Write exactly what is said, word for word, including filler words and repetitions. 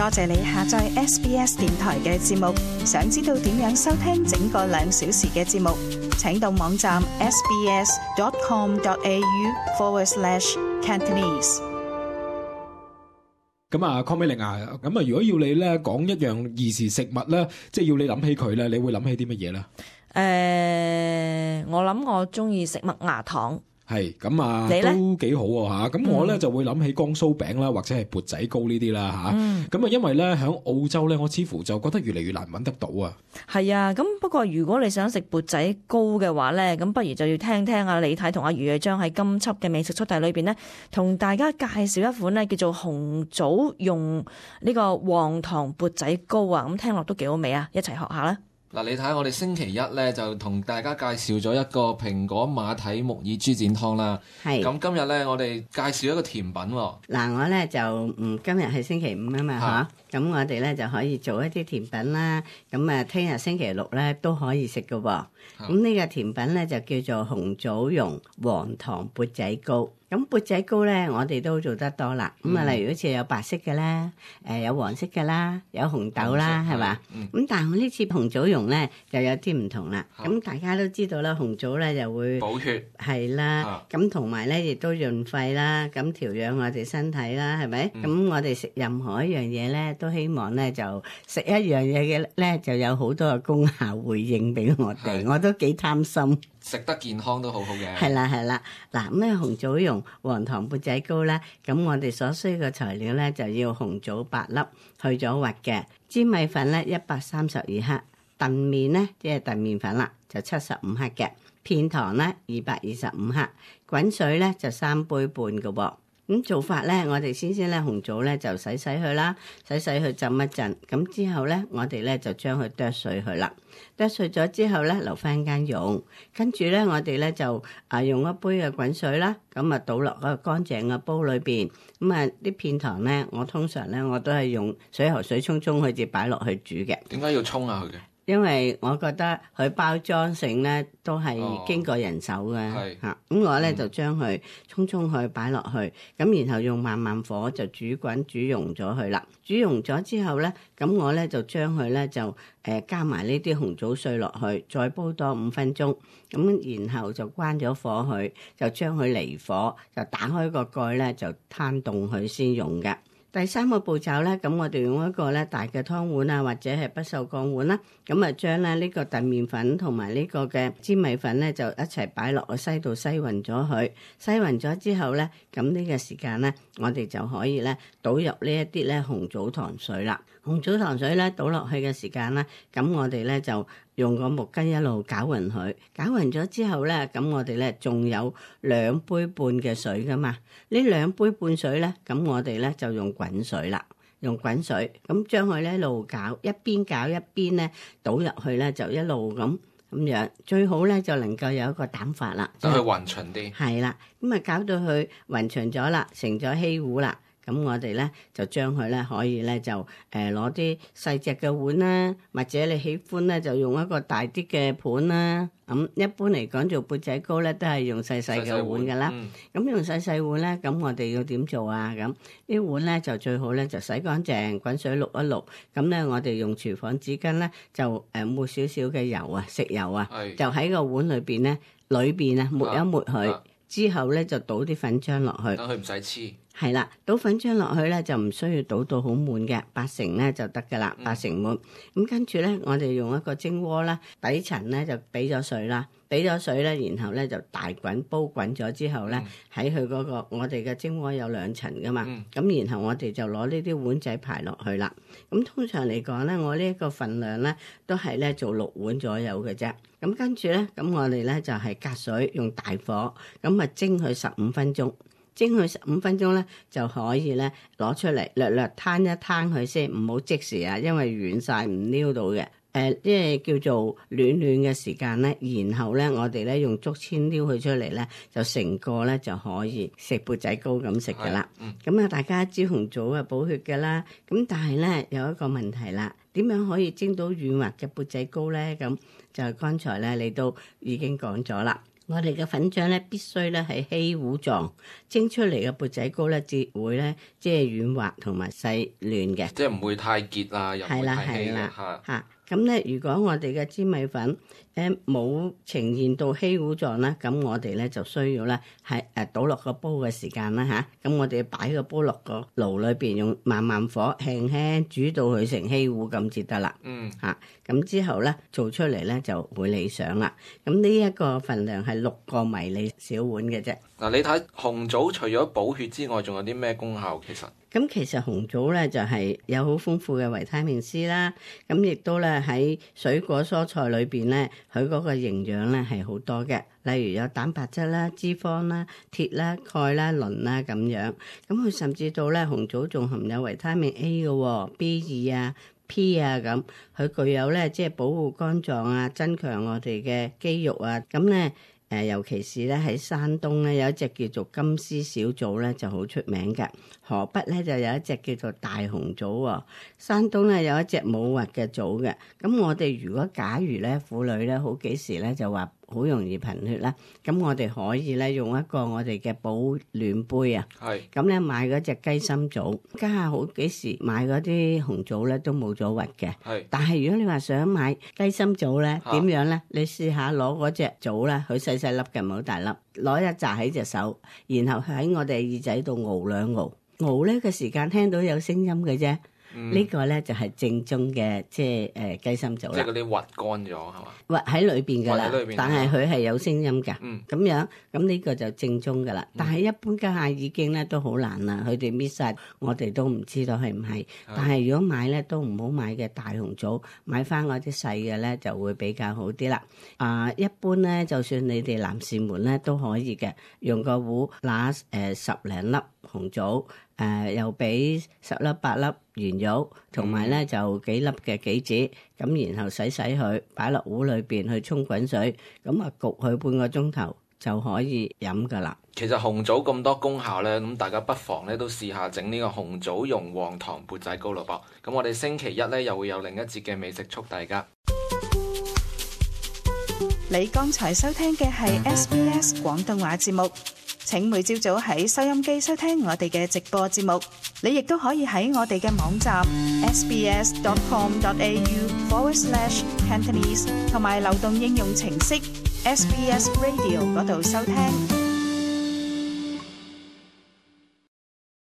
多謝你下載 S B S 電台嘅節目。想知道點樣收聽整個兩小時嘅節目，請到網站 sbs.com.au forward slash Cantonese。咁啊，鄺美玲啊，咁啊，如果要你咧講一樣兒時食物咧，即係要你諗起佢咧，你會諗起啲乜嘢咧？誒、呃，我諗我中意食麥芽糖。係咁啊，都幾好喎嚇！咁我咧、嗯、就會諗起江蘇餅啦，或者係缽仔糕呢啲啦嚇。咁啊，因為咧喺澳洲咧，我似乎就覺得越嚟越難揾得到啊。係啊，咁不過如果你想食缽仔糕嘅話咧，咁不如就要聽聽阿李太同阿余瑞章喺今輯嘅美食速遞裏邊呢，同大家介紹一款呢叫做紅棗用呢個黃糖缽仔糕啊！咁聽落都幾好味啊，一齊學下啦。嗱，你睇下我哋星期一咧就同大家介紹咗一個蘋果馬蹄木耳豬展湯啦。係。咁今日咧我哋介紹一個甜品喎。嗱，我咧就嗯今日係星期五啊嘛嚇，咁我哋咧就可以做一啲甜品啦。咁啊，聽日星期六咧都可以食噶喎。咁呢個甜品咧就叫做紅棗蓉黃糖缽仔糕。咁缽仔糕咧，我哋都做得多啦。咁啊，例如好似有白色嘅啦，誒有黃色嘅啦，有紅豆啦，係嘛？咁但係我呢次紅棗蓉咧就有啲唔同啦。咁大家都知道啦，紅棗咧就會補血，係啦。咁同埋咧亦都潤肺啦，咁調養我哋身體啦，係咪？咁我哋食任何一樣嘢咧，都希望咧就食一樣嘢嘅咧就有好多嘅功效回應俾我哋，我都幾貪心。食得健康都好好嘅。係啦係啦，嗱咁咧紅棗蓉黃糖缽仔糕咧，咁我哋所需嘅材料咧就要紅棗八粒，去咗核嘅，粘米粉咧一百三十二克，燉麵咧即係燉麵粉啦，就七十五克嘅，片糖咧二百二十五克，滾水咧就三杯半嘅喎。咁做法咧，我哋先先咧紅棗咧就洗洗佢啦，洗洗佢浸一陣，咁之後咧我哋咧就將佢剁碎佢啦，剁碎咗之後咧留翻間用，跟住咧我哋咧就啊用一杯嘅滾水啦，咁啊倒落個乾淨嘅煲裏邊，咁啊啲片糖咧我通常咧我都係用水喉水沖沖佢至擺落去煮嘅。點解要沖下佢嘅？因為我覺得佢包裝性咧都係經過人手嘅嚇，咁我咧就將佢沖沖佢擺落去，咁然後用慢慢火就煮滾煮溶咗佢啦。煮溶咗之後咧，咁我咧就將佢咧就誒加埋呢啲紅棗碎落去，再煲多五分鐘，咁然後就關咗火佢，就將佢離火，就打開個蓋咧就攤凍佢先用嘅。第三個步驟咧，咁我哋用一個咧大嘅湯碗啊，或者係不鏽鋼碗啦，咁啊將咧呢個燉麵粉同埋呢個嘅粘米粉咧就一齊擺落個篩度篩勻咗佢，篩勻咗之後咧，咁呢個時間咧，我哋就可以咧倒入呢一啲咧紅棗糖水啦。紅棗糖水咧倒落去嘅時間咧，咁我哋咧就用個木羹一路攪勻佢，攪勻咗之後咧，咁我哋咧仲有兩杯半嘅水噶嘛，呢兩杯半水咧，咁我哋咧就用滾水啦，用滾水，咁將佢咧一路攪，一邊攪一邊咧倒入去咧就一路咁咁樣，最好咧就能夠有一個膽法啦，等佢勻勻啲。係啦，咁啊搞到佢勻勻咗啦，成咗稀糊啦。咁我哋咧就將佢咧可以咧就誒攞啲細隻嘅碗啦，或者你喜歡咧就用一個大啲嘅盤啦。咁一般嚟講做缽仔糕咧都係用細細嘅碗噶啦。咁、嗯、用細細碗咧，咁我哋要點做啊？咁呢碗咧就最好咧就洗乾淨，滾水渌一渌。咁咧我哋用廚房紙巾咧就誒抹少少嘅油啊，食油啊，就喺個碗裏邊咧裏邊啊抹一抹佢、啊啊，之後咧就倒啲粉漿落去，等佢唔使黐。係啦，倒粉漿落去咧就唔需要倒到好滿嘅，八成咧就得噶啦，八成滿。咁跟住咧，我哋用一個蒸鍋啦，底層咧就俾咗水啦，俾咗水咧，然後咧就大滾煲滾咗之後咧，喺佢嗰個我哋嘅蒸鍋有兩層噶嘛，咁、嗯、然後我哋就攞呢啲碗仔排落去啦。咁通常嚟講咧，我呢一個份量咧都係咧做六碗左右嘅啫。咁跟住咧，咁我哋咧就係隔水用大火，咁啊蒸佢十五分鐘。蒸佢十五分鐘咧，就可以咧攞出嚟，略略攤一攤佢先，唔好即時啊，因為軟晒唔撩到嘅。誒、呃，即係叫做暖暖嘅時間咧，然後咧我哋咧用竹籤撩佢出嚟咧，就成個咧就可以食缽仔糕咁食噶啦。咁啊、嗯，大家知紅棗啊補血噶啦，咁但係咧有一個問題啦，點樣可以蒸到軟滑嘅缽仔糕咧？咁就係剛才咧你都已經講咗啦。我哋嘅粉漿咧必須咧係稀糊狀，蒸出嚟嘅缽仔糕咧至會咧即係軟滑同埋細嫩嘅，即係唔會太結啊，又唔會太稀嘅嚇。咁咧，如果我哋嘅粘米粉誒冇呈現到稀糊狀咧，咁我哋咧就需要咧係誒倒落個煲嘅時間啦嚇。咁我哋擺個煲落個爐裏邊，用慢慢火輕輕煮到佢成稀糊咁至得啦。嗯嚇，咁之後咧做出嚟咧就會理想啦。咁呢一個份量係六個迷你小碗嘅啫。嗱，你睇紅棗除咗補血之外，仲有啲咩功效？其實咁其實紅棗咧就係有好豐富嘅維他命 C 啦，咁亦都咧喺水果蔬菜裏邊咧，佢嗰個營養咧係好多嘅，例如有蛋白質啦、脂肪啦、鐵啦、鈣啦、磷啦咁樣。咁佢甚至到咧紅棗仲含有維他命 A 嘅 B 二啊、P 啊咁，佢具有咧即係保護肝臟啊、增強我哋嘅肌肉啊，咁咧。誒，尤其是咧喺山東咧有一隻叫做金絲小棗咧就好出名嘅，河北咧就有一隻叫做大紅棗喎，山東咧有一隻冇核嘅棗嘅。咁我哋如果假如咧婦女咧好幾時咧就話好容易貧血啦，咁我哋可以咧用一個我哋嘅保暖杯啊，係咁咧買嗰隻雞心棗，家下好幾時買嗰啲紅棗咧都冇咗核嘅，係。但係如果你話想買雞心棗咧，點樣咧？你試下攞嗰隻棗咧，佢細細粒嘅，唔好大粒，攞一紮喺隻手，然後喺我哋耳仔度熬兩熬，熬咧嘅時間聽到有聲音嘅啫。嗯、呢個咧就係正宗嘅，即係誒雞心棗啦。即係嗰啲核乾咗係嘛？核喺裏邊㗎啦，但係佢係有聲音㗎。嗯，咁樣咁呢個就正宗㗎啦。嗯、但係一般家下已經咧都好難啦，佢哋搣晒，我哋都唔知道係唔係。嗯、但係如果買咧都唔好買嘅大紅棗，買翻嗰啲細嘅咧就會比較好啲啦。啊、呃，一般咧就算你哋男士們咧都可以嘅，用個壺揦誒十零粒紅棗。誒、呃、又俾十粒八粒圓肉，同埋咧就幾粒嘅杞子，咁然後洗洗佢，擺落壺裏邊去沖滾水，咁啊焗佢半個鐘頭就可以飲噶啦。其實紅棗咁多功效咧，咁大家不妨咧都試下整呢個紅棗蓉黃糖缽仔糕咯噃。咁我哋星期一咧又會有另一節嘅美食速遞㗎。你剛才收聽嘅係 S B S 廣東話節目。請每朝早喺收音機收聽我哋嘅直播節目，你亦都可以喺我哋嘅網站 sbs dot com dot a u forward slash cantonese 同埋流動應用程式 S B S Radio 嗰度收聽。